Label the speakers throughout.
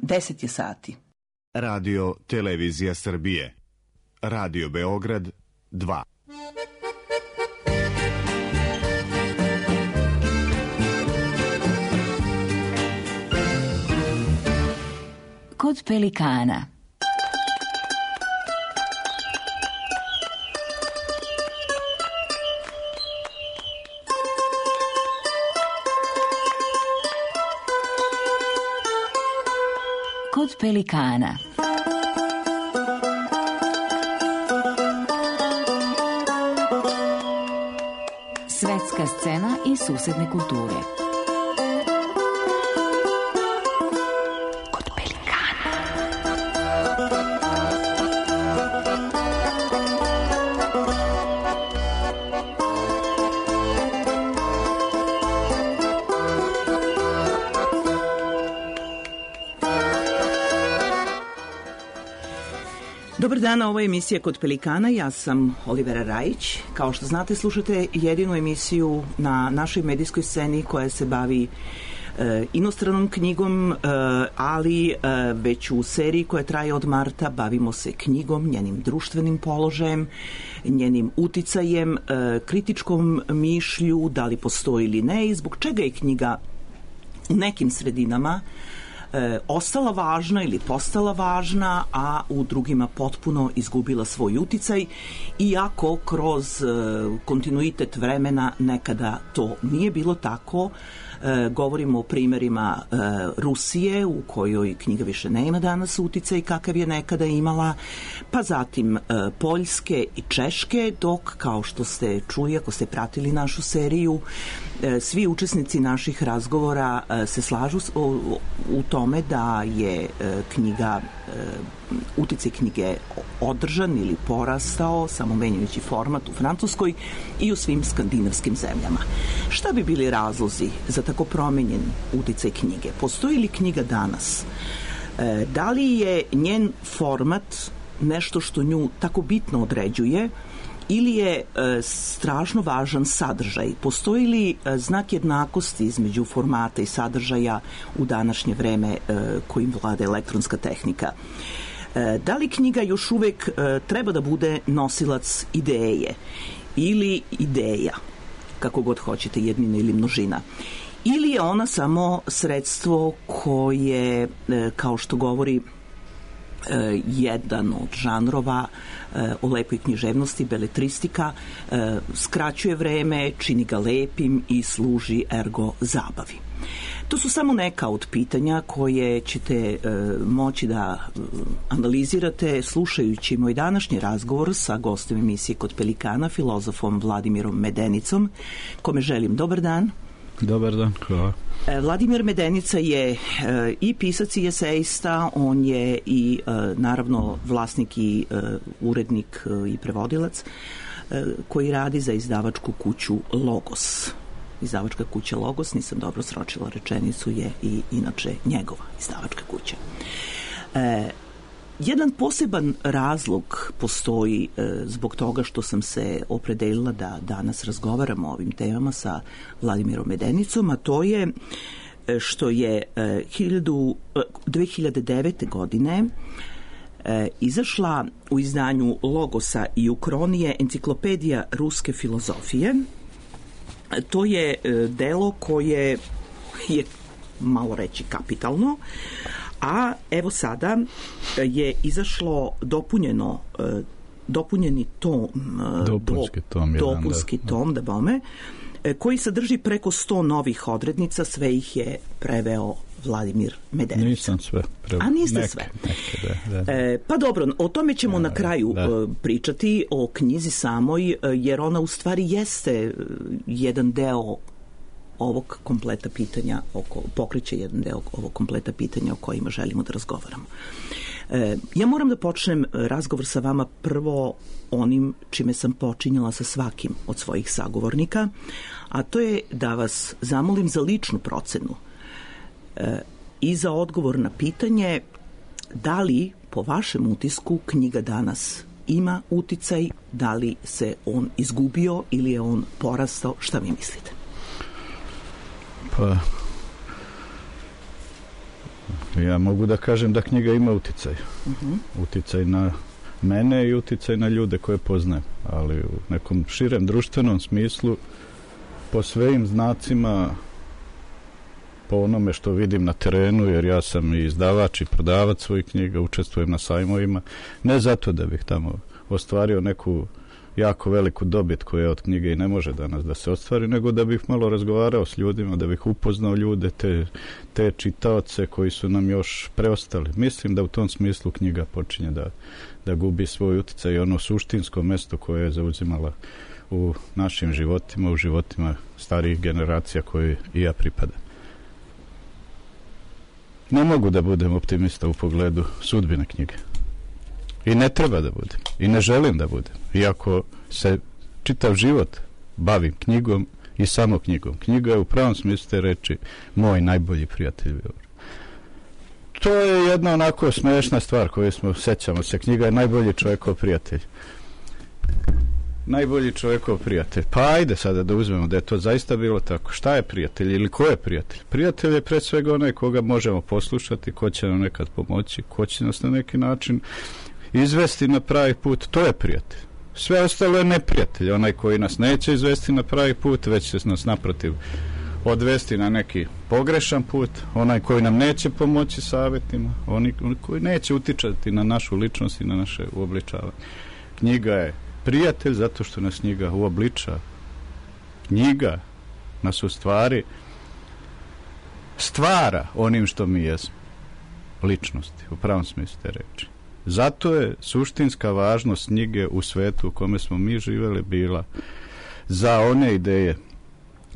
Speaker 1: 10 je sati.
Speaker 2: Radio Televizija Srbije. Radio Beograd 2.
Speaker 3: Kod pelikana. Kod pelikana. Svetska scena i susedne kulture. Kod pelikana.
Speaker 1: Dobar dan, ovo je emisija Kod pelikana, ja sam Olivera Rajić. Kao što znate, slušate jedinu emisiju na našoj medijskoj sceni koja se bavi inostranom knjigom, ali već u seriji koja traje od marta bavimo se knjigom, njenim društvenim položajem, njenim uticajem, kritičkom mišlju, da li postoji ili ne i zbog čega je knjiga u nekim sredinama ostala važna ili postala važna, a u drugima potpuno izgubila svoj uticaj, iako kroz kontinuitet vremena nekada to nije bilo tako. Govorimo o primerima Rusije, u kojoj knjiga više nema danas uticaj kakav je nekada imala, pa zatim Poljske i Češke, dok, kao što ste čuli, ako ste pratili našu seriju, svi učesnici naših razgovora se slažu u tome da je uticaj knjige održan ili porastao, samo menjajući format u Francuskoj i u svim skandinavskim zemljama. Šta bi bili razlozi za tako promenjen uticaj knjige? Postoji li knjiga danas? Da li je njen format nešto što nju tako bitno određuje ili je strašno važan sadržaj? Postoji li znak jednakosti između formata i sadržaja u današnje vreme kojim vlada elektronska tehnika? Da li knjiga još uvek treba da bude nosilac ideje ili ideja, kako god hoćete, jednina ili množina? Ili je ona samo sredstvo koje, kao što govori jedan od žanrova o lepoj književnosti, beletristika, skraćuje vreme, čini ga lepim i služi ergo zabavi? To su samo neka od pitanja koje ćete moći da analizirate slušajući moj današnji razgovor sa gostom emisije Kod pelikana, filozofom Vladimirom Medenicom, kome želim dobar dan.
Speaker 4: Dobar dan, hvala.
Speaker 1: Vladimir Medenica je i pisac i esejista, on je i naravno vlasnik i urednik i prevodilac koji radi za izdavačku kuću Logos. Izdavačka kuća Logos, nisam dobro sročila rečenicu, je i inače njegova izdavačka kuća. Jedan poseban razlog postoji zbog toga što sam se opredelila da danas razgovaramo o ovim temama sa Vladimirom Medenicom, a to je što je 2009. godine izašla u izdanju Logosa i Ukronije enciklopedija ruske filozofije. To je delo koje je, malo reći, kapitalno, a evo sada je izašlo dopunjeni tom, dopunski tom, da bome, koji sadrži preko 100 novih odrednica, sve ih je preveo Vladimir Medenica.
Speaker 4: Nisam sve preveo.
Speaker 1: A niste sve?
Speaker 4: Da.
Speaker 1: Pa dobro, o tome ćemo na kraju pričati, o knjizi samoj, jer ona u stvari jeste jedan deo ovog kompleta pitanja, pokreće jedan deo ovog kompleta pitanja o kojima želimo da razgovaramo. Ja moram da počnem razgovor sa vama prvo onim čime sam počinjala sa svakim od svojih sagovornika, a to je da vas zamolim za ličnu procenu i za odgovor na pitanje da li po vašem utisku knjiga danas ima uticaj, da li se on izgubio ili je on porastao, šta vi mislite?
Speaker 4: Pa Ja mogu da kažem da knjiga ima uticaj. Uticaj na mene i uticaj na ljude koje poznajem. Ali u nekom širem društvenom smislu, po svojim znacima, po onome što vidim na terenu, jer ja sam i izdavač i prodavac svojih knjiga, učestvujem na sajmovima, ne zato da bih tamo ostvario neku jako veliku dobit koja od knjige i ne može danas da se ostvari, nego da bih malo razgovarao s ljudima, da bih upoznao ljude, te čitaoce koji su nam još preostali. Mislim da u tom smislu knjiga počinje da gubi svoj utjecaj i ono suštinsko mesto koje je zauzimala u našim životima, u životima starijih generacija koje i ja pripadam. Ne mogu da budem optimista u pogledu sudbine knjige. I ne treba da budem. I ne želim da budem. Iako se čitav život bavim knjigom i samo knjigom. Knjiga je u pravom smislu te reči moj najbolji prijatelj. To je jedna onako smešna stvar koju sećamo se. Knjiga je najbolji čovjekov prijatelj. Najbolji čovjekov prijatelj. Pa ajde sada da uzmemo da je to zaista bilo tako. Šta je prijatelj ili ko je prijatelj? Prijatelj je pre svega onaj koga možemo poslušati, ko će nam nekad pomoći, ko će nas na neki način izvesti na pravi put. To je prijatelj. Sve ostalo je neprijatelj. Onaj koji nas neće izvesti na pravi put, već će nas naprotiv odvesti na neki pogrešan put. Onaj koji nam neće pomoći savjetima, onaj koji neće utičati na našu ličnost i na naše uobličavanje. Knjiga je prijatelj zato što nas knjiga uobličava. Knjiga nas u stvari stvara onim što mi jesmo. Ličnosti, u pravom smislu te reči. Zato je suštinska važnost knjige u svetu u kome smo mi živjeli bila za one ideje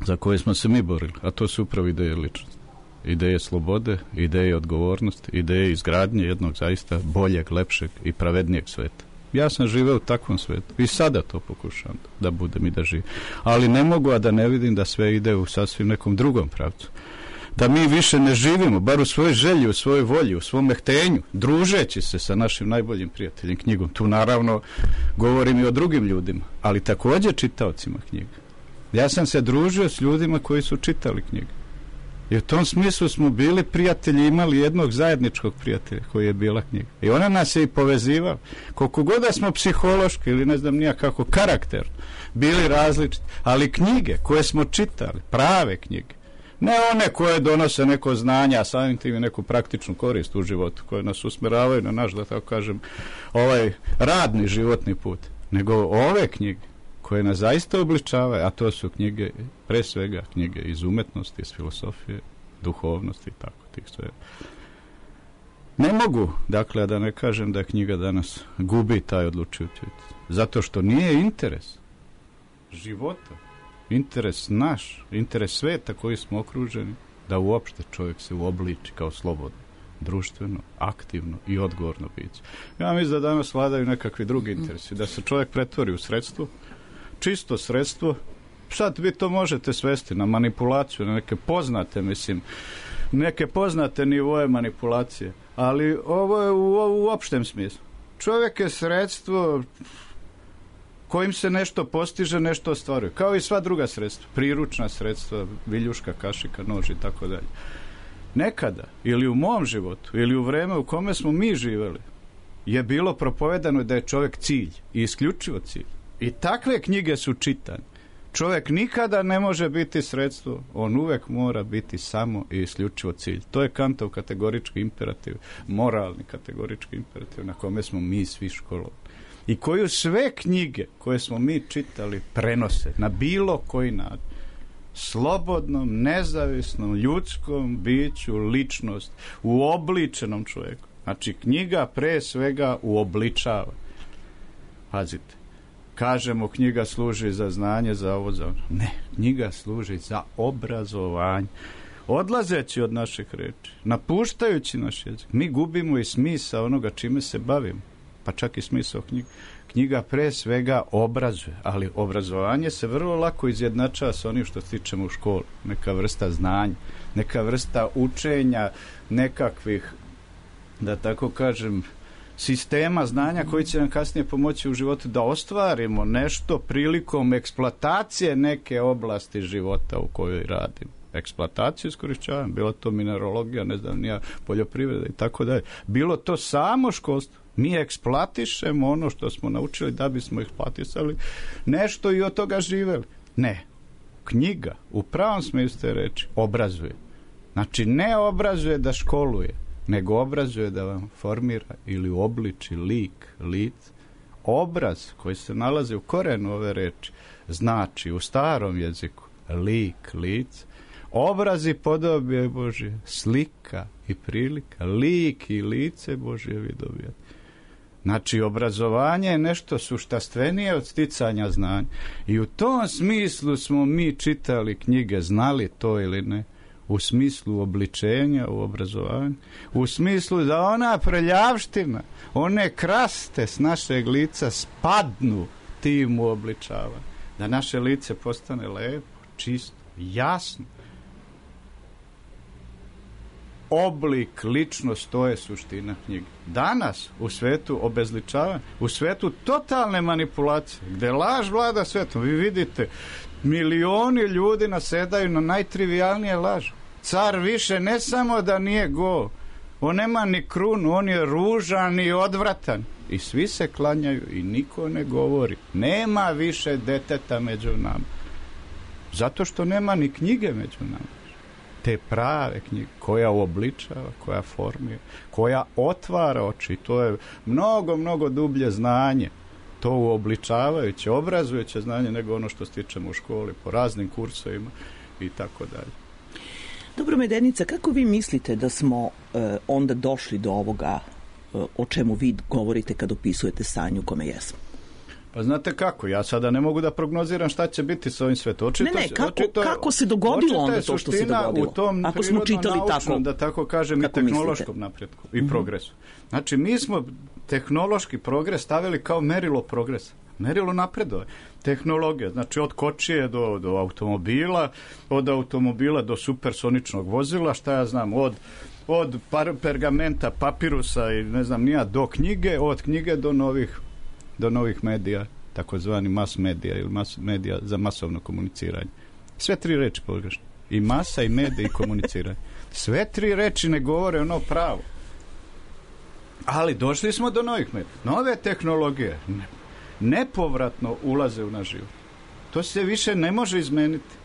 Speaker 4: za koje smo se mi borili, a to su upravo ideje ličnosti. Ideje slobode, ideje odgovornosti, ideje izgradnje jednog zaista boljeg, lepšeg i pravednijeg sveta. Ja sam živeo u takvom svetu i sada to pokušavam da budem i da živim. Ali ne mogu, a da ne vidim da sve ide u sasvim nekom drugom pravcu. Da mi više ne živimo, bar u svojoj želji, u svojoj volji, u svom htenju, družeći se sa našim najboljim prijateljem knjigom. Tu naravno govorim i o drugim ljudima, ali također čitaocima knjiga. Ja sam se družio s ljudima koji su čitali knjige. I u tom smislu smo bili prijatelji, imali jednog zajedničkog prijatelja koji je bila knjiga. I ona nas je i povezivala. Koliko god da smo psihološki ili ne znam nija kako karakter bili različiti, ali knjige koje smo čitali, prave knjige, ne one koje donose neko znanje, a samim tim i neku praktičnu korist u životu, koje nas usmeravaju na naš, da tako kažem, ovaj radni životni put, nego ove knjige koje nas zaista obličavaju, a to su knjige, pre svega knjige iz umetnosti, iz filosofije, duhovnosti i tako tih sve. Ne mogu, dakle, da ne kažem da knjiga danas gubi taj odlučujući. Zato što nije interes života, interes naš, interes sveta koji smo okruženi, da uopšte čovjek se uobliči kao slobodno, društveno, aktivno i odgovorno biće. Ja mislim da danas vladaju nekakvi drugi interesi, da se čovjek pretvori u sredstvo, čisto sredstvo. Sad vi to možete svesti na manipulaciju, na neke poznate, neke poznate nivoje manipulacije, ali ovo je u opštem smislu. Čovjek je sredstvo kojim se nešto postiže, nešto ostvaruje. Kao i sva druga sredstva, priručna sredstva, viljuška, kašika, nož i tako dalje. Nekada, ili u mom životu, ili u vreme u kome smo mi živjeli, je bilo propovedano da je čovjek cilj i isključivo cilj. I takve knjige su čitane. Čovjek nikada ne može biti sredstvo, on uvek mora biti samo i isključivo cilj. To je Kantov kategorički imperativ, moralni kategorički imperativ na kome smo mi svi školovani. I koju sve knjige koje smo mi čitali prenose na bilo koji način. Slobodnom, nezavisnom, ljudskom biću, ličnost, uobličenom čovjeku. Znači, knjiga pre svega uobličava. Pazite. Kažemo, knjiga služi za znanje, za ovo, za ono. Ne, knjiga služi za obrazovanje. Odlazeći od naših reči, napuštajući naš jezik, mi gubimo i smisao onoga čime se bavimo. Pa čak i smisao knjige. Knjiga pre svega obrazuje, ali obrazovanje se vrlo lako izjednačava sa onim što stičemo u školi. Neka vrsta znanja, neka vrsta učenja, nekakvih, da tako kažem, sistema znanja koji će nam kasnije pomoći u životu da ostvarimo nešto prilikom eksploatacije neke oblasti života u kojoj radimo. eksploataciju, iskorišćavanje, bilo to mineralogija, ne znam, nija poljoprivreda i tako dalje. Bilo to samo školstvo. Mi eksploatišemo ono što smo naučili da bismo eksploatisali nešto i od toga živeli. Ne. Knjiga, u pravom smislu te reči, obrazuje. Znači, ne obrazuje da školuje, nego obrazuje da vam formira ili uobliči lik, lic. Obraz koji se nalazi u korenu ove reči znači u starom jeziku lik, lic. Obraz i podobje Božje, slika i prilika, lik i lice Božje vi dobijate. Znači, obrazovanje je nešto suštastvenije od sticanja znanja. I u tom smislu smo mi čitali knjige, znali to ili ne, u smislu obličenja u obrazovanju, u smislu da ona prljavština, one kraste s našeg lica spadnu tim u obličavanju. Da naše lice postane lepo, čisto, jasno. Oblik, ličnost, to je suština knjige. Danas, u svetu obezličavanja, u svetu totalne manipulacije, gde laž vlada svetom, vi vidite, milioni ljudi nasedaju na najtrivijalnije laži. Car više ne samo da nije go, on nema ni krunu, on je ružan i odvratan. I svi se klanjaju i niko ne govori. Nema više deteta među nama. Zato što nema ni knjige među nama. Te prave knjige, koja uobličava, koja formira, koja otvara oči. To je mnogo, mnogo dublje znanje. To uobličavajuće, obrazujuće znanje nego ono što stičemo u školi, po raznim kursovima i tako dalje.
Speaker 1: Dobro, Medenica, kako vi mislite da smo onda došli do ovoga o čemu vi govorite kad opisujete stanje u kome jesmo?
Speaker 4: Pa znate kako, ja sada ne mogu da prognoziram šta će biti sa ovim svetom.
Speaker 1: Kako se dogodilo onda to što se dogodilo?
Speaker 4: U tom
Speaker 1: ako smo čitali tako,
Speaker 4: da tako kažem, i tehnološkom napretku i progresu. Znači, mi smo tehnološki progres stavili kao merilo progresa. Merilo napredove. Tehnologija, znači od kočije do automobila, od automobila do supersoničnog vozila, šta ja znam, od pergamenta, papirusa i ne znam nija, do knjige, od knjige do novih medija, takozvani mas medija ili mas medija za masovno komuniciranje. Sve tri reči pogrešne. I masa, i medija, i komuniciranje. Sve tri reči ne govore ono pravo. Ali došli smo do novih medija. Nove tehnologije nepovratno ulaze u naš život. To se više ne može izmeniti.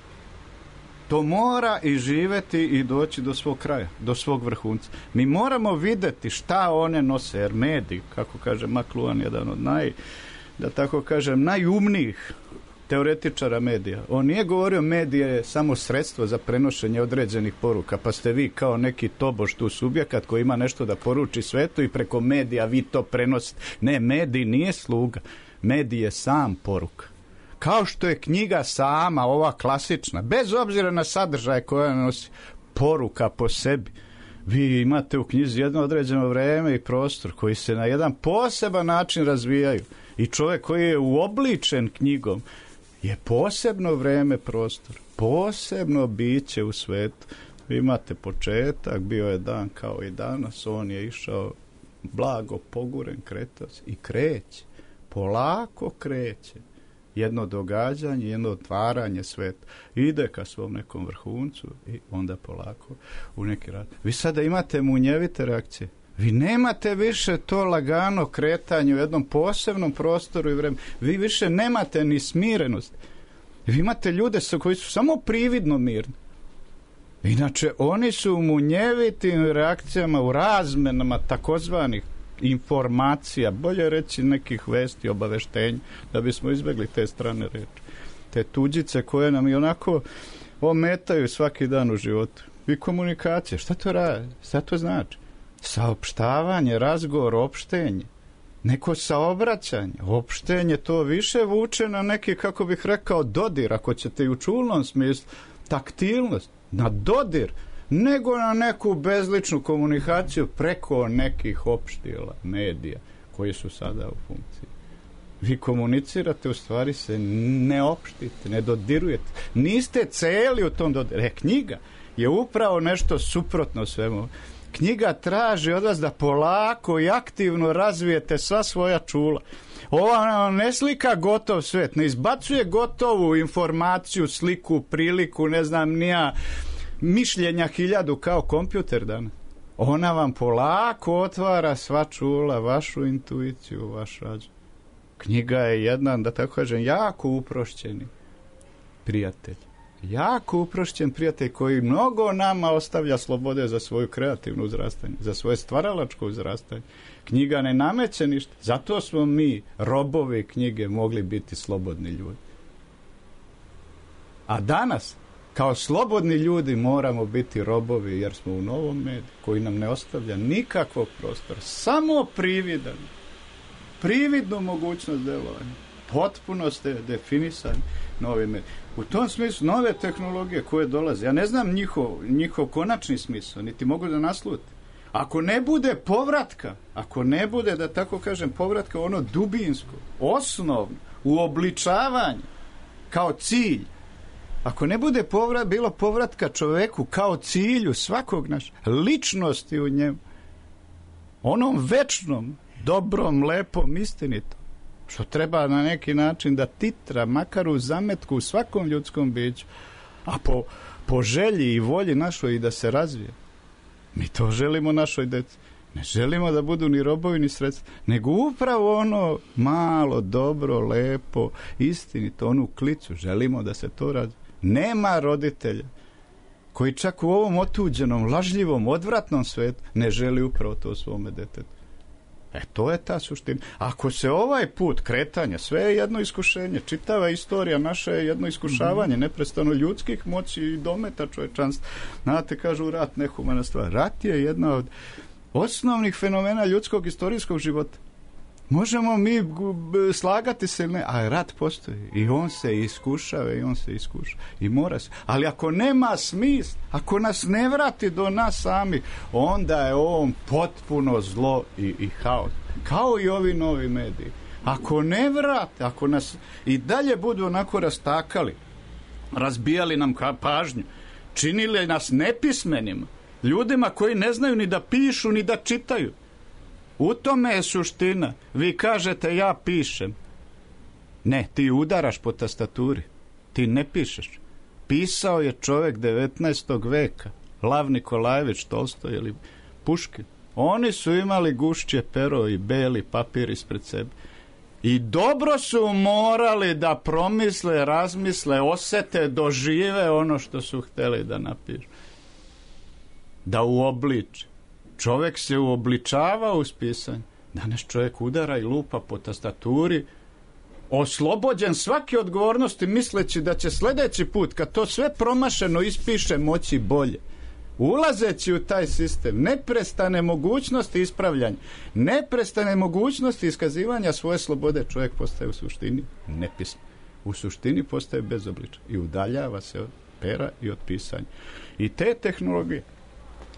Speaker 4: To mora i živeti i doći do svog kraja, do svog vrhunca. Mi moramo videti šta one nose, jer mediji, kako kaže McLuhan, jedan od najumnijih teoretičara medija. On nije govorio medije je samo sredstvo za prenošenje određenih poruka, pa ste vi kao neki tobož tu subjekat koji ima nešto da poruči svetu i preko medija vi to prenosite. Ne, medij nije sluga. Medij je sam poruka. Kao što je knjiga sama, ova klasična, bez obzira na sadržaj koja nosi, poruka po sebi. Vi imate u knjizi jedno određeno vreme i prostor koji se na jedan poseban način razvijaju. I čovjek koji je uobličen knjigom je posebno vreme, prostor, posebno biće u svetu. Vi imate početak, bio je dan kao i danas, on je išao blago, poguren, kretao se i kreće. Polako kreće. Jedno događanje, jedno otvaranje sveta. Ide ka svom nekom vrhuncu i onda polako u neki rad. Vi sada imate munjevite reakcije. Vi nemate više to lagano kretanje u jednom posebnom prostoru i vremenu. Vi više nemate ni smirenost. Vi imate ljude koji su samo prividno mirni. Inače, oni su u munjevitim reakcijama, u razmenama takozvanih informacija, bolje reći nekih vesti, obaveštenja, da bismo izbjegli te strane reči. Te tuđice koje nam i onako ometaju svaki dan u životu. I komunikacija, šta to radi? Šta to znači? Saopštavanje, razgovor, opštenje. Neko saobraćanje, opštenje, to više vuče na neki, kako bih rekao, dodir, ako ćete i u čulnom smislu, taktilnost, na dodir, nego na neku bezličnu komunikaciju preko nekih opštila, medija, koji su sada u funkciji. Vi komunicirate, u stvari se ne opštite, ne dodirujete. Niste celi u tom dodiru. Knjiga je upravo nešto suprotno svemu. Knjiga traži od vas da polako i aktivno razvijete sva svoja čula. Ova ne slika gotov svet, ne izbacuje gotovu informaciju, sliku, priliku, ne znam nija, mišljenja 1000 kao kompjuter danas. Ona vam polako otvara sva čula, vašu intuiciju, vaš razum. Knjiga je jedan, da tako kažem, jako uprošćeni prijatelj. Jako uprošćen prijatelj koji mnogo nama ostavlja slobode za svoju kreativnu uzrastanje, za svoje stvaralačko uzrastanje. Knjiga ne nameće ništa. Zato smo mi, robovi knjige, mogli biti slobodni ljudi. A danas, kao slobodni ljudi, moramo biti robovi jer smo u novom mediju koji nam ne ostavlja nikakvog prostora. Samo prividnu mogućnost delovanja. Potpuno ste definisani novi mediji. U tom smislu, nove tehnologije koje dolaze, ja ne znam njihov konačni smisao, niti mogu da naslutim. Ako ne bude povratka, ako ne bude, da tako kažem, povratka ono dubinsko, osnovno, uobličavanje kao cilj, ako ne bude bilo povratka čoveku kao cilju svakog našeg, ličnosti u njemu, onom večnom, dobrom, lepom, istinitom, što treba na neki način da titra, makar u zametku u svakom ljudskom biću, a po želji i volji našoj i da se razvije. Mi to želimo našoj deci. Ne želimo da budu ni robovi ni sredstva, nego upravo ono malo, dobro, lepo, istinito, onu klicu. Želimo da se to razvije. Nema roditelja koji čak u ovom otuđenom, lažljivom, odvratnom svetu ne želi upravo to svome detetu. To je ta suština. Ako se ovaj put kretanja, sve je jedno iskušenje, čitava istorija naša je jedno iskušavanje, neprestano ljudskih moći i dometa čovječanstva. Znate, kažu rat nehumana stvar. Rat je jedna od osnovnih fenomena ljudskog istorijskog života. Možemo mi slagati se ili ne, a rat postoji i on se iskušava i mora se. Ali ako nema smisla, ako nas ne vrati do nas sami, onda je on potpuno zlo i haos. Kao i ovi novi mediji. Ako ne vrate, ako nas i dalje budu onako rastakali, razbijali nam pažnju, činili nas nepismenima, ljudima koji ne znaju ni da pišu ni da čitaju, u tome je suština. Vi kažete ja pišem. Ne, ti udaraš po tastaturi. Ti ne pišeš. Pisao je čovjek 19. veka. Lav Nikolajević, Tolstoj ili Puškin. Oni su imali gušće pero i beli papir ispred sebe. I dobro su morali da promisle, razmisle, osete, dožive ono što su htjeli da napišu. Da uobliče. Čovjek se uobličava uz pisanje. Danas čovjek udara i lupa po tastaturi, oslobođen svake odgovornosti, misleći da će sljedeći put, kad to sve promašeno ispiše, moći bolje. Ulazeći u taj sistem, neprestane mogućnosti ispravljanja, neprestane mogućnosti iskazivanja svoje slobode, čovjek postaje u suštini nepismen. U suštini postaje bezobličan i udaljava se od pera i od pisanja. I te tehnologije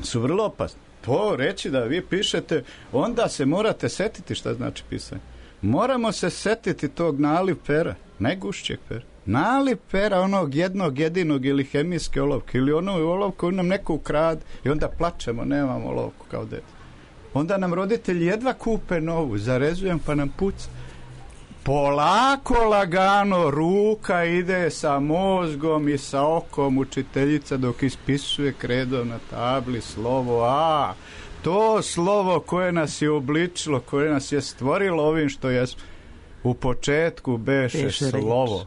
Speaker 4: su vrlo opasne. To reći da vi pišete, onda se morate setiti šta znači pisanje. Moramo se setiti tog naliv pera, najgušćeg pera. Naliv pera onog jednog jedinog ili hemijske olovke ili onu olovku koju nam neko ukrade i onda plačemo, nemamo olovku kao dete. Onda nam roditelji jedva kupe novu, zarezujem pa nam puca. Polako, lagano, ruka ide sa mozgom i sa okom učiteljica dok ispisuje kredom na tabli slovo A. To slovo koje nas je obličilo, koje nas je stvorilo ovim što je u početku beše slovo.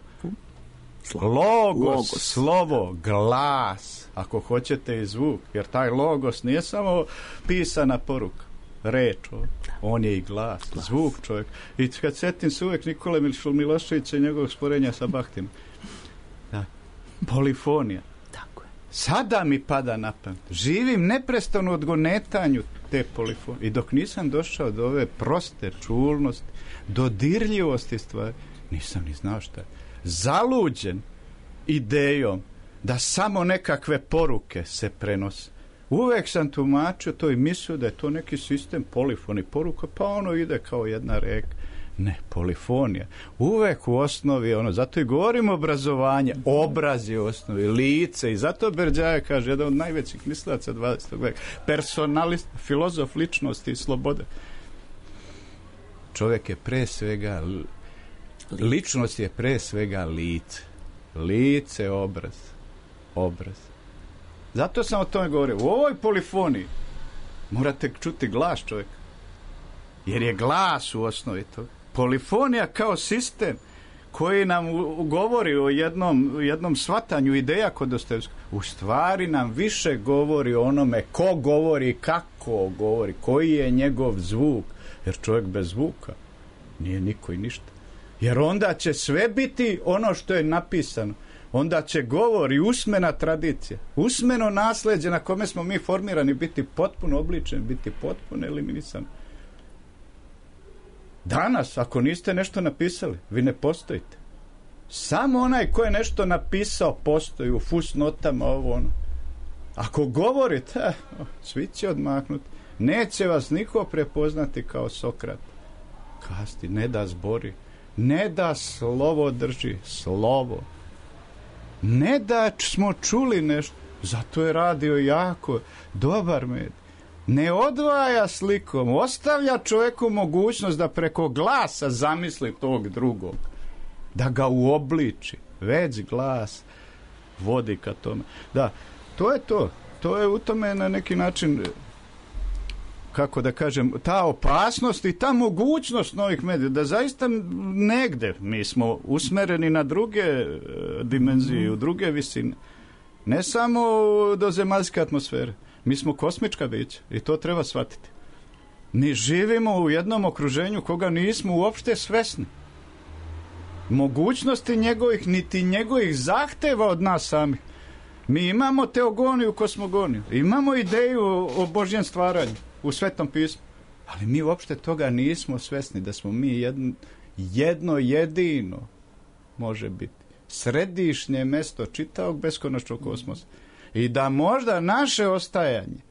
Speaker 4: Logos, slovo, glas, ako hoćete i zvuk, jer taj logos nije samo pisana poruka, reč, on je i glas, zvuk čovjek. I kad setim se uvijek Nikole Miloševića i njegovog sporenja sa Bahtinom, polifonija.
Speaker 1: Tako je.
Speaker 4: Sada mi pada na pamet. Živim neprestano odgonetanju te polifonije. I dok nisam došao do ove proste čulnosti, dodirljivosti stvari, nisam ni znao šta je. Zaluđen idejom da samo nekakve poruke se prenose. Uvek sam tumačio to i mislio da je to neki sistem polifoni poruka, pa ono ide kao jedna reka. Ne, polifonija. Uvek u osnovi ono, zato i govorimo obrazovanje, obraz je u osnovi, lice, i zato Berdjajev kaže, jedan od najvećih mislilaca 20. veka, personalist, filozof ličnosti i slobode. Čovjek je pre svega ličnost je pre svega lice. Lice, obraz. Zato sam o tome govorio. U ovoj polifoniji morate čuti glas čovjeka. Jer je glas u osnovi toga. Polifonija kao sistem koji nam govori o jednom shvatanju ideja kod Dostojevskog, u stvari nam više govori o onome ko govori, kako govori, koji je njegov zvuk. Jer čovjek bez zvuka nije niko i ništa. Jer onda će sve biti ono što je napisano. Onda će govor i usmena tradicija, usmeno nasljeđe na kome smo mi formirani biti potpuno obličeni, biti potpuno eliminisani. Danas, ako niste nešto napisali, vi ne postojite. Samo onaj ko je nešto napisao postoji u fusnotama, ovo ono. Ako govorite, svi će odmaknuti. Neće vas niko prepoznati kao Sokrat. Kasti, ne da zbori, ne da slovo drži, slovo. Ne da smo čuli nešto, zato je radio jako dobar med. Ne odvaja slikom, ostavlja čovjeku mogućnost da preko glasa zamisli tog drugog, da ga uobliči. Već glas vodi ka tome. Da, to je to. To je u tome na neki način, kako da kažem, ta opasnost i ta mogućnost novih medija, da zaista negde mi smo usmereni na druge dimenzije, u druge visine. Ne samo do zemaljske atmosfere. Mi smo kosmička bića i to treba shvatiti. Mi živimo u jednom okruženju koga nismo uopšte svesni. Mogućnosti njegovih, niti njegovih zahteva od nas samih. Mi imamo teogoniju, kosmogoniju. Imamo ideju o Božjem stvaranju u Svetom pismu. Ali mi uopšte toga nismo svesni, da smo mi jedno jedino, može biti, središnje mesto čitavog beskonačnog kosmosa. I da možda naše ostajanje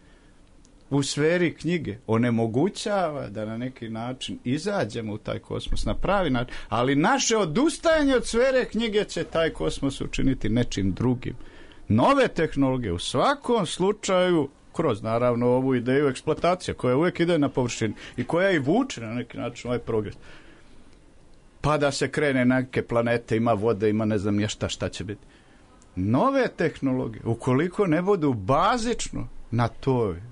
Speaker 4: u sferi knjige onemogućava da na neki način izađemo u taj kosmos na pravi način, ali naše odustajanje od sfere knjige će taj kosmos učiniti nečim drugim. Nove tehnologije u svakom slučaju, kroz naravno ovu ideju eksploatacija koja uvijek ide na površini i koja i vuče na neki način ovaj progres. Pa da se krene na neke planete, ima vode, ima ne znam šta će biti. Nove tehnologije, ukoliko ne budu bazično na toj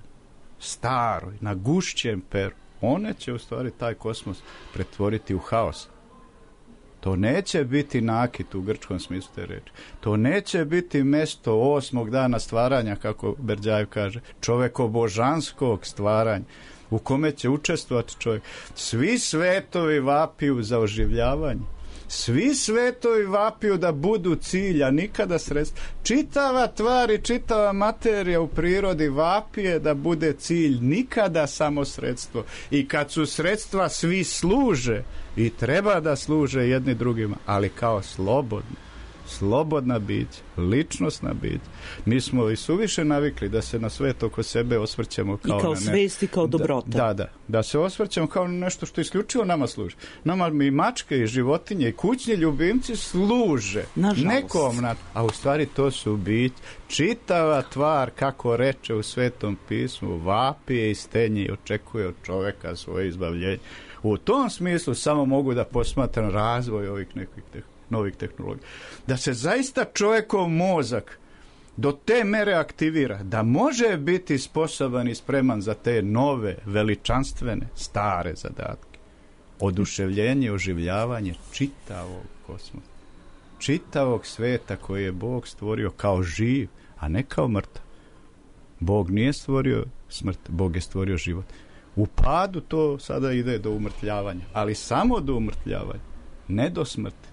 Speaker 4: staroj, na gušćem peru, one će u stvari taj kosmos pretvoriti u haos. To neće biti nakit u grčkom smislu te reči. To neće biti mesto 8. dana stvaranja, kako Berdjajev kaže, čovekobožanskog stvaranja, u kome će učestvovati čovjek. Svi svetovi vapiju za oživljavanje. Svi svetovi vapiju da budu cilj, a nikada sredstvo. Čitava tvar i čitava materija u prirodi vapije da bude cilj, nikada samo sredstvo. I kad su sredstva, svi služe i treba da služe jedni drugima, ali kao slobodna bića, ličnosna bića. Mi smo i suviše navikli da se na svet oko sebe osvrćemo kao,
Speaker 1: i kao svest i kao dobrota.
Speaker 4: Da se osvrćemo kao nešto što isključivo nama služi. Nama i mačke i životinje i kućni ljubimci služe nekom, a u stvari to su bića. Čitava tvar, kako reče u Svetom pismu, vapije i stenje i očekuje od čoveka svoje izbavljenje. U tom smislu samo mogu da posmatram razvoj ovih nekih novih tehnologija. Da se zaista čovjekov mozak do te mere aktivira da može biti sposoban i spreman za te nove, veličanstvene, stare zadatke. Oduševljenje, oživljavanje čitavog kosmosa. Čitavog sveta koji je Bog stvorio kao živ, a ne kao mrtav. Bog nije stvorio smrt, Bog je stvorio život. U padu to sada ide do umrtljavanja, ali samo do umrtljavanja, ne do smrti.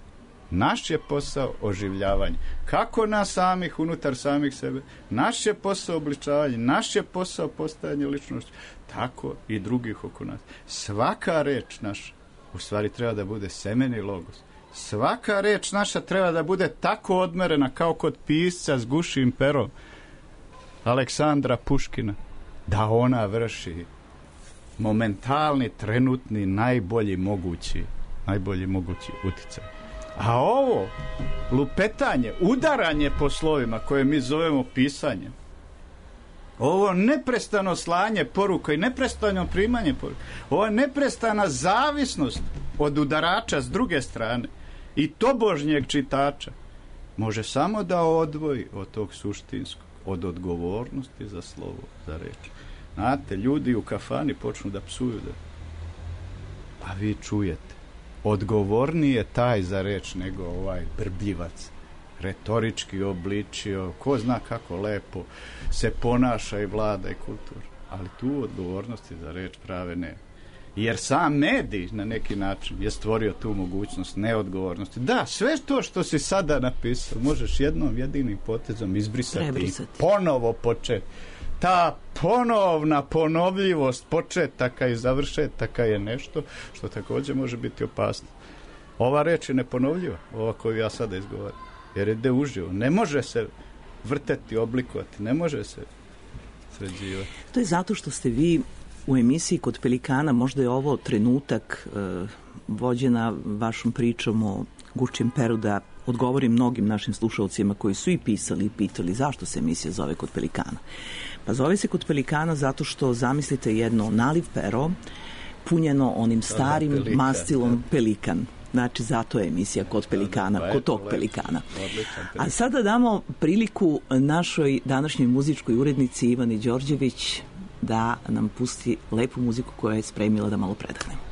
Speaker 4: Naš je posao oživljavanje. Kako nas samih, unutar samih sebe, naš je posao obličavanje, naš je posao postajanje ličnosti, tako i drugih oko nas. Svaka reč naša, u stvari treba da bude semeni logos. Svaka reč naša treba da bude tako odmerena kao kod pisca s gušim perom Aleksandra Puškina, da ona vrši momentalni, trenutni, najbolji mogući uticaj. A ovo lupetanje, udaranje po slovima koje mi zovemo pisanjem, ovo neprestano slanje poruka i neprestano primanje poruka, ovo neprestana zavisnost od udarača s druge strane i tobožnjeg čitača može samo da odvoji od tog suštinskog, od odgovornosti za slovo, za reč. Znate, ljudi u kafani počnu da psuju, a vi čujete. Odgovorniji je taj za reč nego ovaj brbljivac. Retorički obličio, ko zna kako lepo se ponaša i vlada i kultura. Ali tu odgovornosti za reč prave nema. Jer sam medij na neki način je stvorio tu mogućnost neodgovornosti. Da, sve to što si sada napisao možeš jednom jedinim potezom izbrisati i ponovo početi. Ta ponovna ponovljivost početaka i završetaka je nešto što također može biti opasno. Ova reč je neponovljiva, ova koju ja sada izgovaram, jer ide uživo. Ne može se vrteti, oblikovati, ne može se sređivati.
Speaker 1: To je zato što ste vi u emisiji Kod Pelikana, možda je ovo trenutak vođena vašom pričom o Gušćem peru, da odgovorim mnogim našim slušalcima koji su i pisali i pitali zašto se emisija zove Kod Pelikana. Pa zove se Kod Pelikana zato što zamislite jedno naliv pero punjeno onim starim mastilom pelikan. Znači, zato je emisija Kod Pelikana, kod tog pelikana. A sada damo priliku našoj današnjoj muzičkoj urednici Ivani Đorđević da nam pusti lepu muziku koja je spremila da malo predahnemo.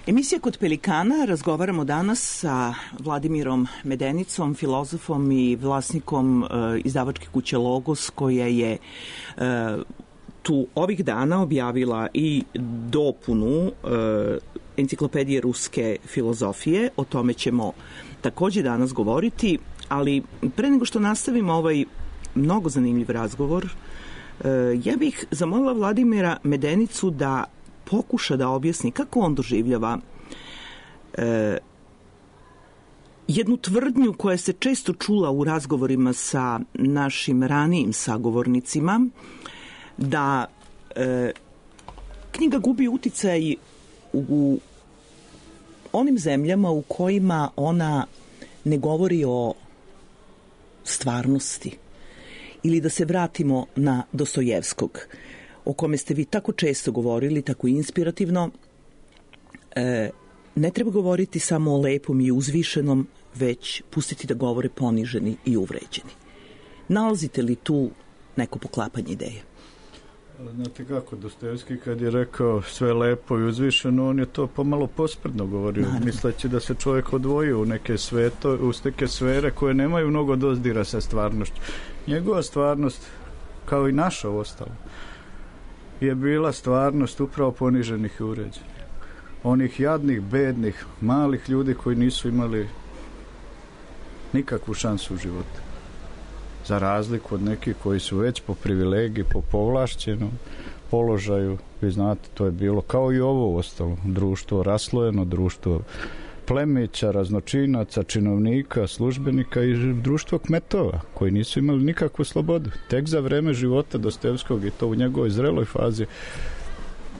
Speaker 1: Emisija Kod pelikana, razgovaramo danas sa Vladimirom Medenicom, filozofom i vlasnikom izdavačke kuće Logos, koja je tu ovih dana objavila i dopunu enciklopedije ruske filozofije. O tome ćemo takođe danas govoriti, ali pre nego što nastavimo ovaj mnogo zanimljiv razgovor, ja bih zamolila Vladimira Medenicu da pokuša da objasni kako on doživljava jednu tvrdnju koja se često čula u razgovorima sa našim ranijim sagovornicima, da knjiga gubi uticaj u onim zemljama u kojima ona ne govori o stvarnosti. Ili da se vratimo na Dostojevskog, o kome ste vi tako često govorili, tako inspirativno. Ne treba govoriti samo o lepom i uzvišenom, već pustiti da govore poniženi i uvređeni. Nalazite li tu neko poklapanje ideje?
Speaker 4: Znate kako, Dostojevski kad je rekao sve lepo i uzvišeno, on je to pomalo posprdno govorio, misleći da se čovjek odvojio u neke sfere koje nemaju mnogo dozdira sa stvarnošću. Njegova stvarnost, kao i naša ostala, je bila stvarnost upravo poniženih i uređenih. Onih jadnih, bednih, malih ljudi koji nisu imali nikakvu šansu u životu. Za razliku od nekih koji su već po privilegiji, po povlašćenom položaju, vi znate, to je bilo kao i ovo ostalo. Društvo raslojeno, društvo plemića, raznočinaca, činovnika, službenika i društvo kmetova koji nisu imali nikakvu slobodu. Tek za vreme života Dostojevskog i to u njegovoj zreloj fazi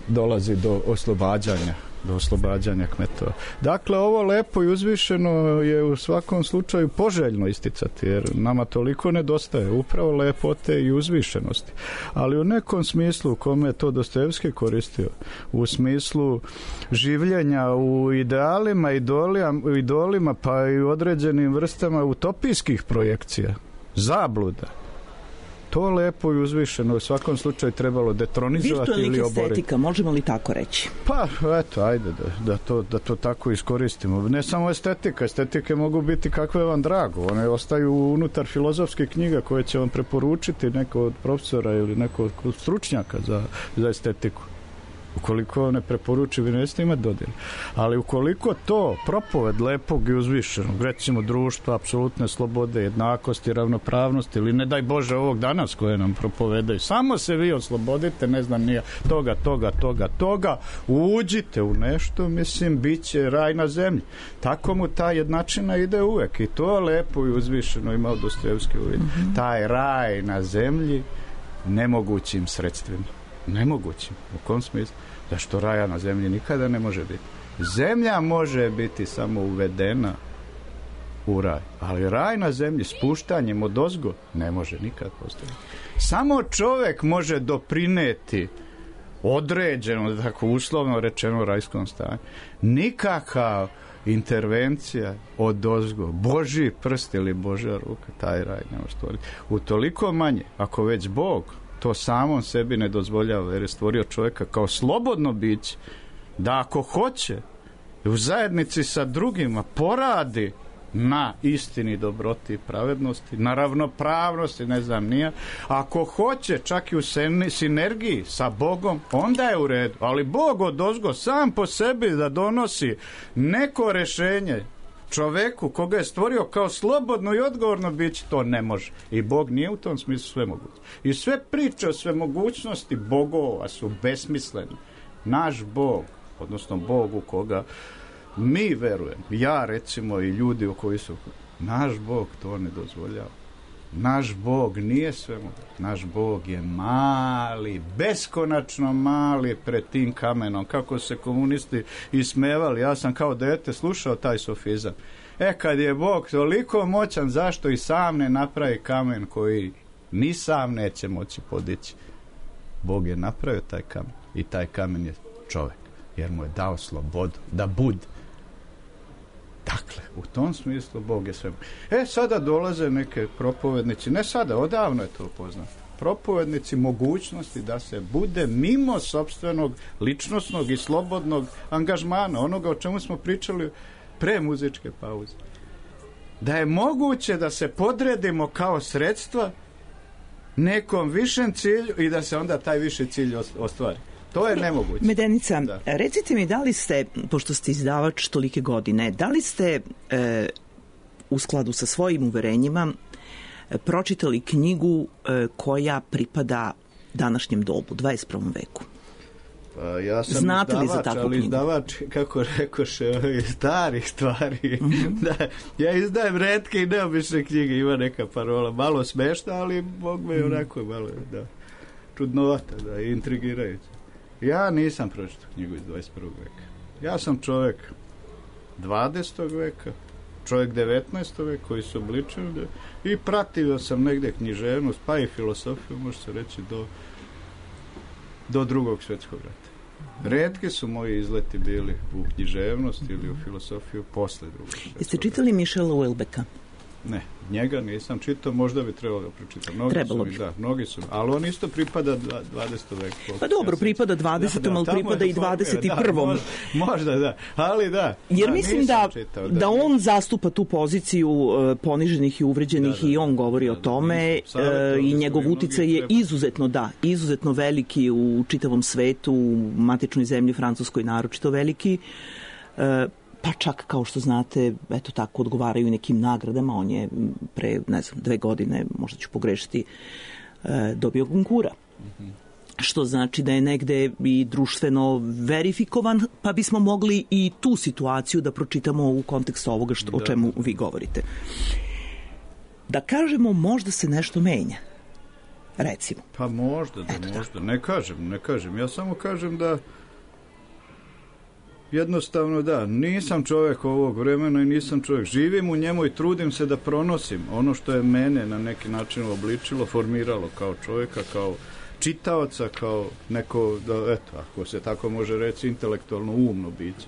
Speaker 4: dolazi do oslobađanja kmetova. Dakle, ovo lepo i uzvišeno je u svakom slučaju poželjno isticati, jer nama toliko nedostaje upravo lepote i uzvišenosti. Ali u nekom smislu u kome je to Dostojevski koristio, u smislu življenja u idealima, idolima, pa i u određenim vrstama utopijskih projekcija, zabluda, to lepo i uzvišeno u svakom slučaju trebalo detronizovati ili oboriti.
Speaker 1: Virtualnih estetika, možemo li tako reći?
Speaker 4: Pa, eto, ajde da to tako iskoristimo. Ne samo estetika, estetike mogu biti kakve vam drago. One ostaju unutar filozofskih knjiga koje će vam preporučiti neko od profesora ili neko od stručnjaka za estetiku. Ukoliko ne preporuči, vi nećete imati dodir. Ali ukoliko to propoved lepog i uzvišenog, recimo društva, apsolutne slobode, jednakosti, ravnopravnosti, ili ne daj Bože ovog danas koje nam propovedaju, samo se vi oslobodite, ne znam nije, toga, uđite u nešto, mislim, bit će raj na zemlji. Tako mu ta jednačina ide uvek i to lepo i uzvišeno imao Dostojevski uvid. Taj raj na zemlji nemogućim sredstvima. Nemogućim. U kom smislu? Zašto raja na zemlji nikada ne može biti? Zemlja može biti samo uvedena u raj, ali raj na zemlji spuštanjem odozgo ne može nikad postaviti. Samo čovjek može doprineti određeno, tako uslovno rečeno, rajskom stanju. Nikakav intervencija odozgo, Božji prst ili Božja ruka, taj raj ne može stvoriti. Utoliko manje, ako već Bog to samom sebi ne dozvoljava, jer je stvorio čovjeka kao slobodno biće, da ako hoće u zajednici sa drugima poradi na istini, dobroti i pravednosti, na ravnopravnosti, ne znam nija, ako hoće čak i u sinergiji sa Bogom, onda je u redu. Ali Bog odozgo sam po sebi da donosi neko rješenje čoveku koga je stvorio kao slobodno i odgovorno biće, to ne može. I Bog nije u tom smislu svemoguć. I sve priče o svemogućnosti bogova su besmisleni. Naš Bog, odnosno Bog u koga mi verujemo, ja recimo i ljudi u koji su, naš Bog to ne dozvoljava. Naš Bog nije svemoguć. Naš Bog je mali, beskonačno mali pred tim kamenom. Kako se komunisti ismevali, ja sam kao dete slušao taj sofizam. Kad je Bog toliko moćan, zašto i sam ne napravi kamen koji ni sam neće moći podići? Bog je napravio taj kamen i taj kamen je čovjek, jer mu je dao slobodu da bude. Dakle, u tom smislu Bog je sve. Sada dolaze neke propovednici, ne sada, odavno je to poznato. propovednici mogućnosti da se bude mimo sopstvenog ličnosnog i slobodnog angažmana, onoga o čemu smo pričali pre muzičke pauze. Da je moguće da se podredimo kao sredstva nekom višem cilju i da se onda taj viši cilj ostvari. To je nemoguće.
Speaker 1: Medenica, recite mi, da li ste, pošto ste izdavač tolike godine, da li ste u skladu sa svojim uverenjima pročitali knjigu koja pripada današnjem dobu, 21. veku?
Speaker 4: Pa ja sam
Speaker 1: znate
Speaker 4: izdavač,
Speaker 1: li za takvu
Speaker 4: ali
Speaker 1: knjigu?
Speaker 4: Izdavač, kako rekoše, starih stvari. Da, ja izdajem retke i neobične knjige, ima neka parola, malo smešna, ali Bog me onako malo, da, čudnovata, da, intrigirajuća. Ja nisam pročitao knjigu iz 21. veka. Ja sam čovjek 20. veka, čovjek 19. veka koji se obličio i pratio sam negde književnost, pa i filosofiju, može se reći, do Drugog svjetskog rata. Retki su moji izleti bili u književnost ili u filosofiju posle Drugog svjetskog rata.
Speaker 1: Jeste čitali Michela Houellebecqa?
Speaker 4: Ne, njega nisam čitao, možda bi trebalo ga pročitati.
Speaker 1: Trebalo bi.
Speaker 4: Da, mnogi su, ali on isto pripada 20. veku.
Speaker 1: Pa dobro, pripada 20. ali pripada i 21.
Speaker 4: Možda, da, ali da.
Speaker 1: Jer mislim da on zastupa tu poziciju poniženih i uvređenih i on govori o tome i njegov uticaj je izuzetno veliki u čitavom svetu, u matičnoj zemlji Francuskoj naročito veliki. Pa čak, kao što znate, eto tako odgovaraju nekim nagradama. On je pre, 2 godine, možda ću pogrešiti, dobio Gonkura. Što znači da je negde i društveno verifikovan, pa bismo mogli i tu situaciju da pročitamo u kontekstu ovoga o čemu vi govorite. Da kažemo, možda se nešto menja. Recimo.
Speaker 4: Pa možda. Ne kažem. Ja samo kažem da jednostavno nisam čovjek ovog vremena i nisam čovjek. Živim u njemu i trudim se da pronosim ono što je mene na neki način obličilo, formiralo kao čovjeka, kao čitaoca, kao neko, ako se tako može reći, intelektualno umno biće.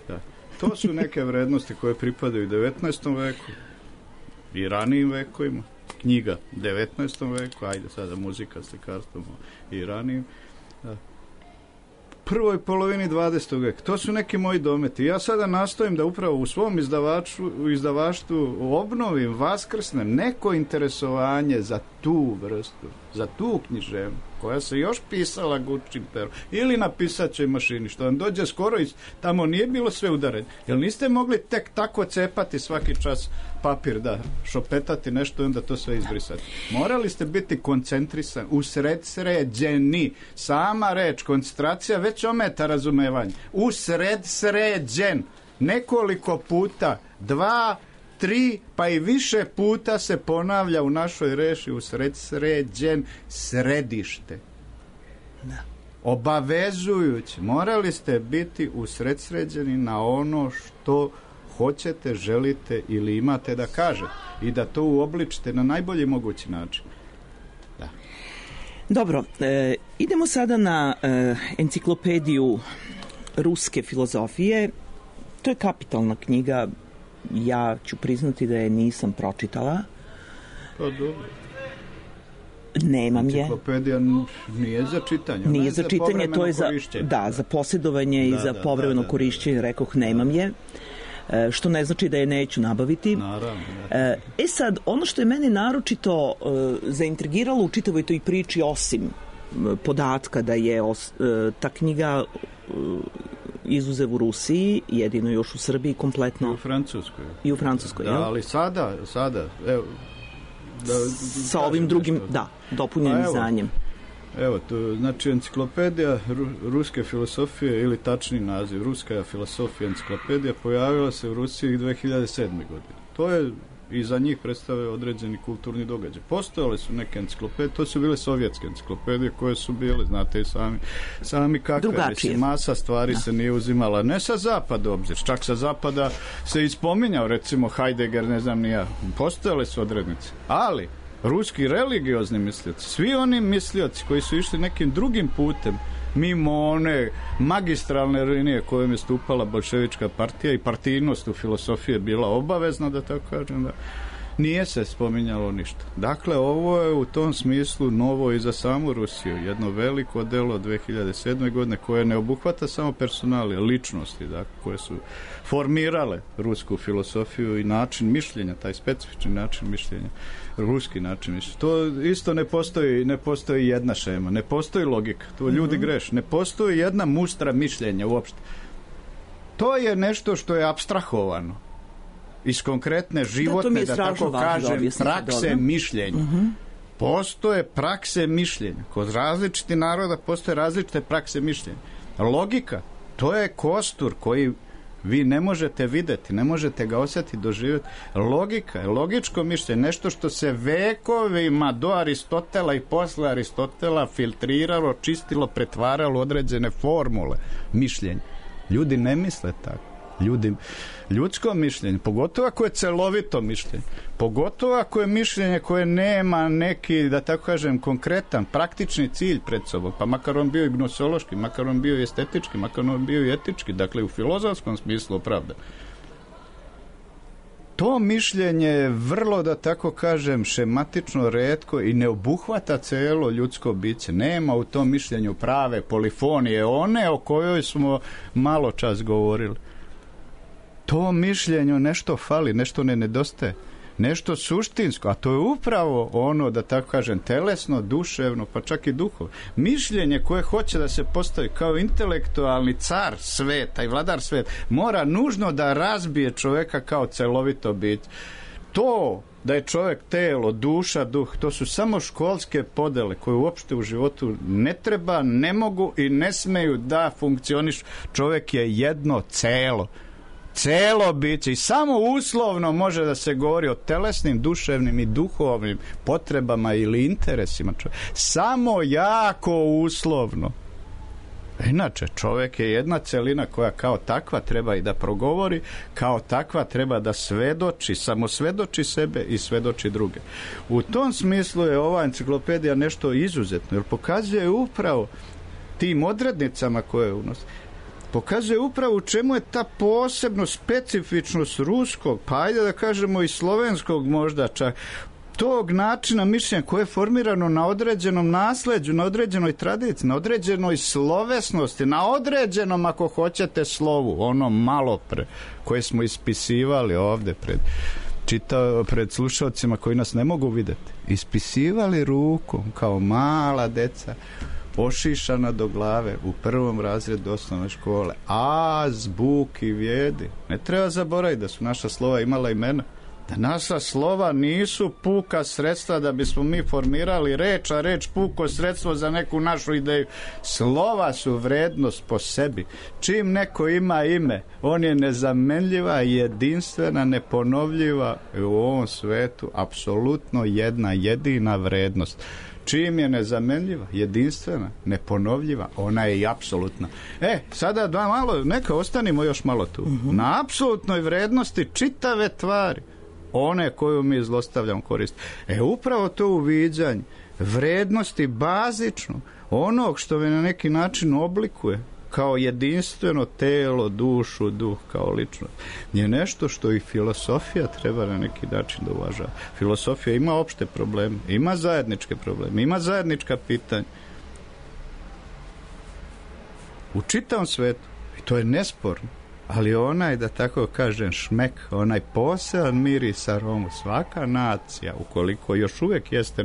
Speaker 4: Da. To su neke vrednosti koje pripadaju 19. veku i ranijim vekovima. Knjiga 19. veku, ajde sada muzika, slikarstvo i ranijim. Da. Prvoj polovini 20. veka. To su neki moji dometi. Ja sada nastojim da upravo u svom izdavaštvu obnovim, vaskrsnem neko interesovanje za tu vrstu, za tu književnost, koja se još pisala gučim perom ili na pisaćoj mašini, što vam dođe skoro iz tamo nije bilo sve udareno. Jel niste mogli tek tako cepati svaki čas papir, šopetati nešto i onda to sve izbrisati? Morali ste biti koncentrisani, usredsređeni. Sama reč, koncentracija već ometa razumevanje. Usredsređen. Nekoliko puta, 2, 3, pa i više puta se ponavlja u našoj reči usredsređen, središte. Da. Obavezujući. Morali ste biti usredsređeni na ono što hoćete, želite ili imate da kažete i da to uobličite na najbolji mogući način. Da.
Speaker 1: Dobro, idemo sada na enciklopediju ruske filozofije. To je kapitalna knjiga. Ja ću priznati da je nisam pročitala.
Speaker 4: Pa dobro.
Speaker 1: Nemam je.
Speaker 4: Enciklopedija nije za čitanje.
Speaker 1: Nije za čitanje, to je za posjedovanje i za povremeno korišćenje, rekoh, nemam je. Što ne znači da je neću nabaviti.
Speaker 4: Naravno.
Speaker 1: Sad, ono što je mene naročito zaintrigiralo u čitavoj toj priči, osim podatka da je ta knjiga izuzev u Rusiji, jedino još u Srbiji, kompletno. I u Francuskoj.
Speaker 4: Da, ali sada, evo,
Speaker 1: sa ovim drugim, dopunjenim izdanjem.
Speaker 4: Evo, to znači enciklopedija ruske filosofije, ili tačni naziv, ruska filosofija enciklopedija, pojavila se u Rusiji 2007. godine. To je i za njih predstavlja određeni kulturni događaj. Postojale su neke enciklopedije, to su bile sovjetske enciklopedije koje su bile, znate i sami kakve. Mislim, masa stvari se nije uzimala, ne sa zapada obzir, čak sa zapada se ispominjao, recimo Heidegger, ne znam ni ja. Postojale su odrednice, ali ruski religiozni mislioci, svi oni mislioci koji su išli nekim drugim putem, mimo one magistralne linije kojom je stupala bolševička partija i partijnost u filosofiji je bila obavezna, da tako kažem, nije se spominjalo ništa. Dakle, ovo je u tom smislu novo i za samu Rusiju. Jedno veliko delo 2007. godine koje ne obuhvata samo personalije, ličnosti, dakle, koje su formirale rusku filosofiju i način mišljenja, taj specifični način mišljenja, ruski način mišljenja. To isto ne postoji jedna šema, ne postoji logika, to ljudi greše, ne postoji jedna mustra mišljenja uopšte. To je nešto što je apstrahovano iz konkretne životne, da tako kažem, prakse mišljenja. Postoje prakse mišljenja. Kod različitih naroda postoje različite prakse mišljenja. Logika, to je kostur koji vi ne možete vidjeti, ne možete ga osjetiti, doživjeti. Logika je logičko mišljenje, nešto što se vekovima do Aristotela i posle Aristotela filtriralo, čistilo, pretvaralo određene formule mišljenja. Ljudi ne misle tako. Ljudsko mišljenje, pogotovo ako je celovito mišljenje, pogotovo ako je mišljenje koje nema neki, da tako kažem, konkretan, praktični cilj pred sobom, pa makar on bio i gnosološki, makar on bio i estetički, makar on bio i etički, dakle u filozofskom smislu opravda. To mišljenje je vrlo, da tako kažem, šematično, retko i ne obuhvata celo ljudsko biće. Nema u tom mišljenju prave polifonije, one o kojoj smo malo čas govorili. To mišljenju nešto fali, nešto ne nedostaje, nešto suštinsko, a to je upravo ono, da tako kažem, telesno, duševno, pa čak i duhovno. Mišljenje koje hoće da se postavi kao intelektualni car sveta i vladar sveta, mora nužno da razbije čovjeka kao celovito biće. To da je čovjek telo, duša, duh, to su samo školske podele koje uopšte u životu ne treba, ne mogu i ne smeju da funkcionišu. Čovjek je jedno celo biće i samo uslovno može da se govori o telesnim, duševnim i duhovnim potrebama ili interesima čovjeka. Samo jako uslovno. Inače, čovjek je jedna celina koja kao takva treba i da progovori, kao takva treba da svedoči, samo svedoči sebe i svedoči druge. U tom smislu je ova enciklopedija nešto izuzetno, jer pokazuje upravo tim odrednicama koje unosi, pokazuje upravo u čemu je ta posebno specifičnost ruskog, pa ajde da kažemo i slovenskog možda čak, tog načina mišljenja koje je formirano na određenom nasleđu, na određenoj tradiciji, na određenoj slovesnosti, na određenom, ako hoćete, slovu, ono malo pre, koje smo ispisivali ovdje pred slušalcima koji nas ne mogu vidjeti. Ispisivali rukom kao mala deca, ošišana do glave u prvom razredu osnovne škole. Azbuki vjedi. Ne treba zaboraviti da su naša slova imala imena. Da naša slova nisu puka sredstva da bismo mi formirali reč, a reč puko sredstvo za neku našu ideju. Slova su vrednost po sebi. Čim neko ima ime, on je nezamenljiva, jedinstvena, neponovljiva i u ovom svetu apsolutno jedna jedina vrednost. Čim je nezamenljiva, jedinstvena, neponovljiva, ona je i apsolutna. Sada neka ostanimo još malo tu. Na apsolutnoj vrednosti čitave tvari, one koju mi zlostavljamo korist. Upravo to uviđanje vrednosti bazično, onog što me na neki način oblikuje kao jedinstveno telo, dušu, duh, kao ličnost, je nešto što i filosofija treba na neki način da uvažava. Filosofija ima opšte probleme, ima zajedničke probleme, ima zajednička pitanja. U čitavom svetu, i to je nesporno, ali onaj, da tako kažem, šmek, onaj poseban miris aromu, svaka nacija, ukoliko još uvijek jeste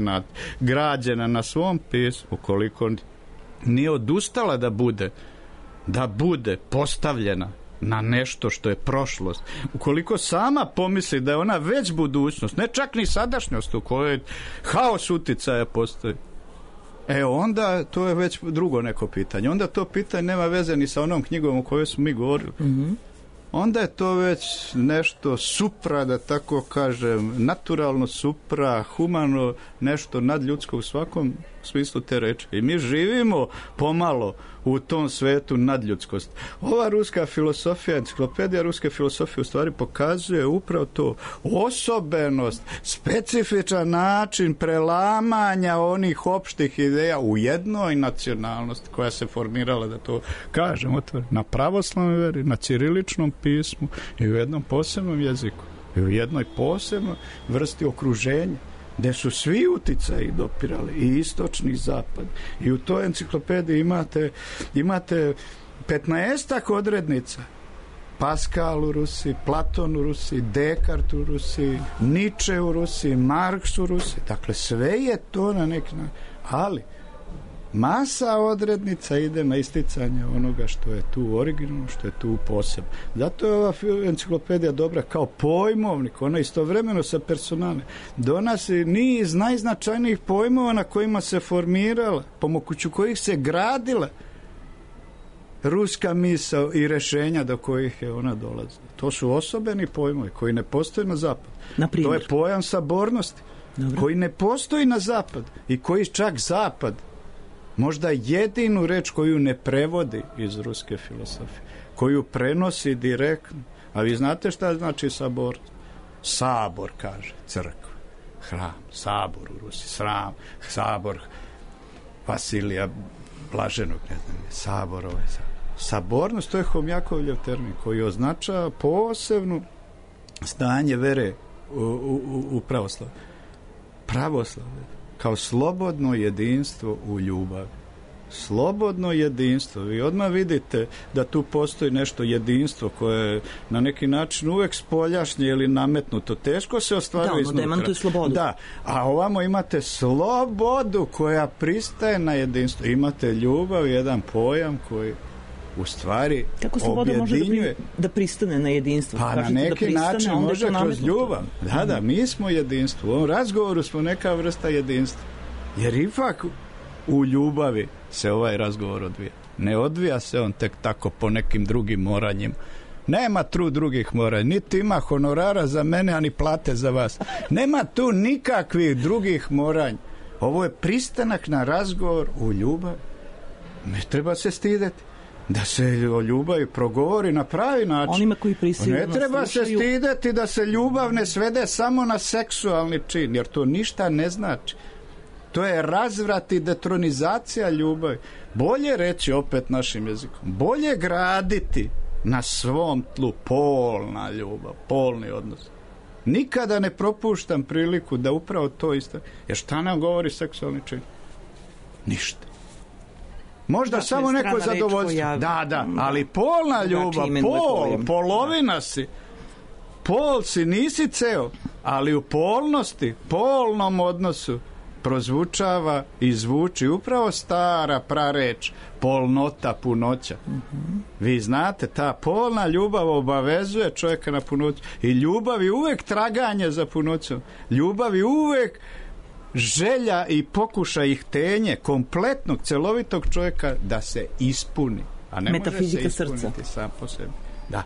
Speaker 4: građena na svom pismu, ukoliko nije odustala da bude postavljena na nešto što je prošlost, ukoliko sama pomisli da je ona već budućnost, ne čak ni sadašnjost u kojoj haos uticaja postoji, onda to je već drugo neko pitanje. Onda to pitanje nema veze ni sa onom knjigom o kojoj smo mi govorili. Onda je to već nešto supra, da tako kažem, naturalno supra, humano, nešto nadljudsko u svakom smislu te reči. I mi živimo pomalo u tom svetu nadljudskosti. Ova ruska filosofija, enciklopedija ruske filosofije u stvari pokazuje upravo to, osobenost, specifičan način prelamanja onih opštih ideja u jednoj nacionalnosti koja se formirala, da to kažem otvoreno, na pravoslavnoj veri, na ćiriličnom pismu i u jednom posebnom jeziku. i u jednoj posebnoj vrsti okruženja, gde su svi uticaji dopirali, i istočni i zapad. I u toj enciklopediji imate 15 odrednica. Pascal u Rusiji, Platon u Rusiji, Descartes u Rusiji, Nietzsche u Rusiji, Marks u Rusiji. Dakle, sve je to na neki način. Ali masa odrednica ide na isticanje onoga što je tu originalno, što je tu posebno. Zato je ova enciklopedija dobra kao pojmovnik, ona istovremeno sa personalnim donosi niz najznačajnijih pojmova na kojima se formirala, pomoću kojih se gradila ruska misao i rešenja do kojih je ona dolazila. To su osobeni pojmovi koji ne postoje na zapadu. To je pojam sabornosti. Dobro. Koji ne postoji na zapad i koji čak zapad možda jedinu reč koju ne prevodi iz ruske filosofije, koju prenosi direktno. A vi znate šta znači sabor? Sabor, kaže, crkva, hram, sabor u Rusiji, sram, sabor Vasilija Blaženog, ne znam, sabor ovaj sabor. Sabornost, to je Homjakovljev termin koji označava posebno stanje vere u pravoslavlje. Pravoslavlje kao slobodno jedinstvo u ljubavi. Slobodno jedinstvo. Vi odmah vidite da tu postoji nešto jedinstvo koje je na neki način uvek spoljašnje ili nametnuto. Teško se ostvaruje iznutra. Da, demantuje slobodu. Da, a ovamo imate slobodu koja pristaje na jedinstvo. Imate ljubav, jedan pojam koji u stvari
Speaker 1: kako sloboda objedinjuje. Može da pristane na jedinstvo?
Speaker 4: Pa na neki način može kroz ljubav. Da, mi smo jedinstvo. U ovom razgovoru smo neka vrsta jedinstva. Jer ipak u ljubavi se ovaj razgovor odvija. Ne odvija se on tek tako po nekim drugim moranjima. Nema tu drugih moranja. Niti ima honorara za mene, ani plate za vas. Nema tu nikakvih drugih moranja. Ovo je pristanak na razgovor u ljubavi. Ne treba se stideti da se o ljubavi progovori na pravi način.
Speaker 1: Onima koji prisilno
Speaker 4: ne treba se stideti da se ljubav ne svede samo na seksualni čin, jer to ništa ne znači. To je razvrat i detronizacija ljubavi. Bolje reći opet našim jezikom, bolje graditi na svom tlu polna ljubav, polni odnos. Nikada ne propuštam priliku da upravo to isto. Jer šta nam govori seksualni čin? Ništa. Možda samo neko zadovoljstvo. Da, ali polna ljubav, polovina si. Pol si, nisi ceo, ali u polnosti, polnom odnosu prozvučava i zvuči upravo stara prareč, polnota, punoća. Vi znate, ta polna ljubav obavezuje čovjeka na punoću. I ljubav je uvek traganje za punoćom. Ljubav je uvek želja i pokušaj i htenje kompletnog, celovitog čovjeka da se ispuni. A ne
Speaker 1: metafizika
Speaker 4: može se ispuniti srca. Sam po sebi. Da.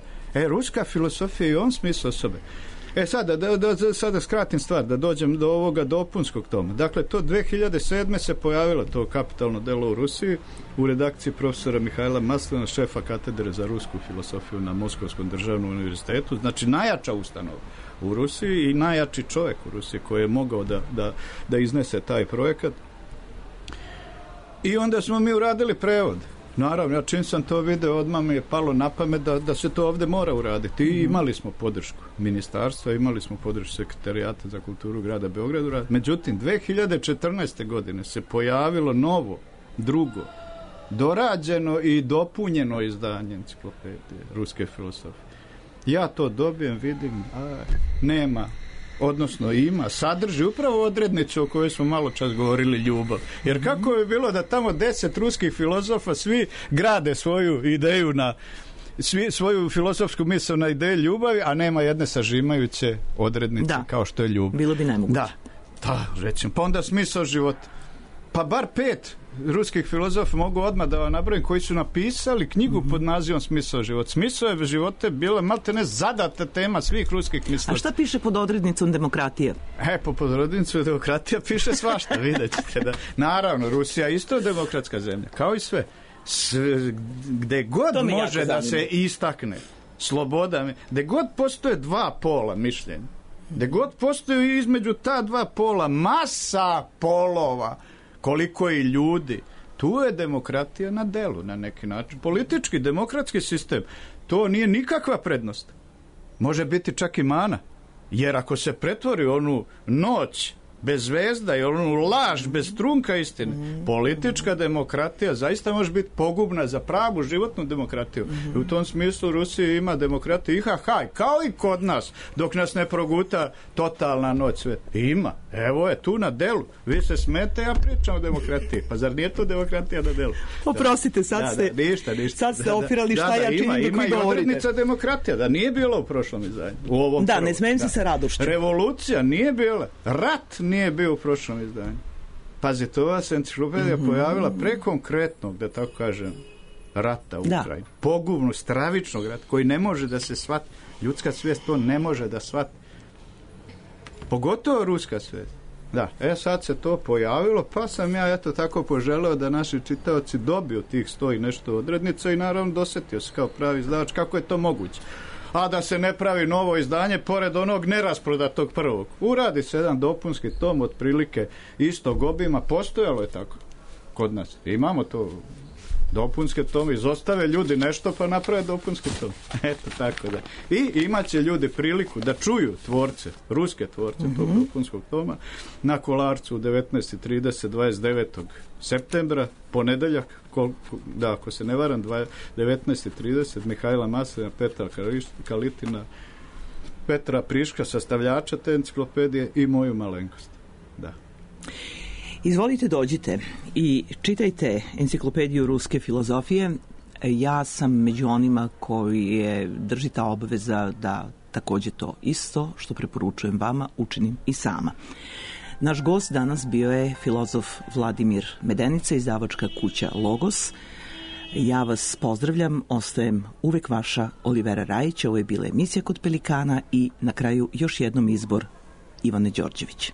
Speaker 4: Ruska filosofija je i on smislu osobe. Sada skratim stvar, da dođem do ovoga dopunskog toma. Dakle, to 2007. se pojavilo to kapitalno delo u Rusiji u redakciji profesora Mihajla Maslina, šefa katedre za rusku filosofiju na Moskovskom državnom univerzitetu. Znači, najjača ustanova u Rusiji i najjači čovjek u Rusiji koji je mogao da iznese taj projekat. I onda smo mi uradili prevod. Naravno, ja čim sam to video, odmah mi je palo na pamet da se to ovdje mora uraditi. I imali smo podršku ministarstva, imali smo podršku sekretarijata za kulturu grada Beograda. Međutim, 2014. godine se pojavilo novo, drugo, dorađeno i dopunjeno izdanje enciklopedije ruske filosofije. Ja to dobijem, vidim, nema, odnosno ima, sadrži upravo odrednicu o kojoj smo malo čas govorili, ljubav. Jer kako je bilo da tamo 10 ruskih filozofa svi grade svoju ideju svoju filosofsku misao na ideju ljubavi, a nema jedne sažimajuće odrednice kao što je ljubav.
Speaker 1: Bilo bi nemoguće.
Speaker 4: Da, recimo. Pa onda smisao života. Pa bar 5 ruskih filozofa mogu odmah da vam nabrojim koji su napisali knjigu pod nazivom Smisao života. Smisao života je bila maltene zadata tema svih ruskih mislilaca.
Speaker 1: A šta piše pod odrednicom demokratija?
Speaker 4: Pod odrednicom demokratija piše svašta, vidjet ćete da. Naravno, Rusija isto je demokratska zemlja, kao i sve. Gde god može da se istakne sloboda, gde god postoje dva pola mišljenja, gde god postoje između ta dva pola masa polova, koliko i ljudi, tu je demokratija na delu na neki način. Politički, demokratski sistem, to nije nikakva prednost. Može biti čak i mana. Jer ako se pretvori onu noć bez zvezda i onu laž bez trunka istine, politička demokratija zaista može biti pogubna za pravu životnu demokratiju. I u tom smislu Rusija ima demokratiju IHH, kao i kod nas, dok nas ne proguta totalna noć sveta. Ima. Evo je tu na delu. Vi se smete, ja pričam o demokratiji. Pa zar nije to demokratija na delu?
Speaker 1: Oprostite, sad ste sad ste opirali šta ja činim dok vi govorite.
Speaker 4: Ima i odrednica demokratija, da nije bilo u prošlom izdanju.
Speaker 1: Da, ne smijem se sa radošću.
Speaker 4: Revolucija nije bila. Rat nije bio u prošlom izdanju. Pazite, ova se enciklopedija pojavila pre konkretnog, da tako kažem, rata u Ukrajini. Pogubno, stravičnog rata, koji ne može da se shvati. Ljudska svijest to ne može da shvati. Pogotovo ruska svijest. Da, sad se to pojavilo, pa sam ja eto tako poželeo da naši čitaoci dobiju tih 100 i nešto odrednica i naravno dosetio se kao pravi izdavač kako je to moguće. A da se ne pravi novo izdanje pored onog nerasprodatog prvog. Uradi se jedan dopunski tom otprilike istog obima, postojalo je tako kod nas. Imamo to dopunske tome, izostave ljudi nešto pa naprave dopunski tom. Eto tako da. I imaće ljudi priliku da čuju tvorce, ruske tvorce tog dopunskog toma na Kolarcu u 19:30 29. septembra, ponedeljak, ako se ne varam, 19:30, Mihajla Maslina, Petra Kalitina, Petra Priška, sastavljača te enciklopedije i moju malenkost. Da.
Speaker 1: Izvolite, dođite i čitajte enciklopediju ruske filozofije. Ja sam među onima koji je drži ta obaveza da također to isto što preporučujem vama učinim i sama. Naš gost danas bio je filozof Vladimir Medenica, izdavačka kuća Logos. Ja vas pozdravljam, ostajem uvek vaša Olivera Rajić. Ovo je bila emisija Kod Pelikana i na kraju još jednom izbor Ivane Đorđević.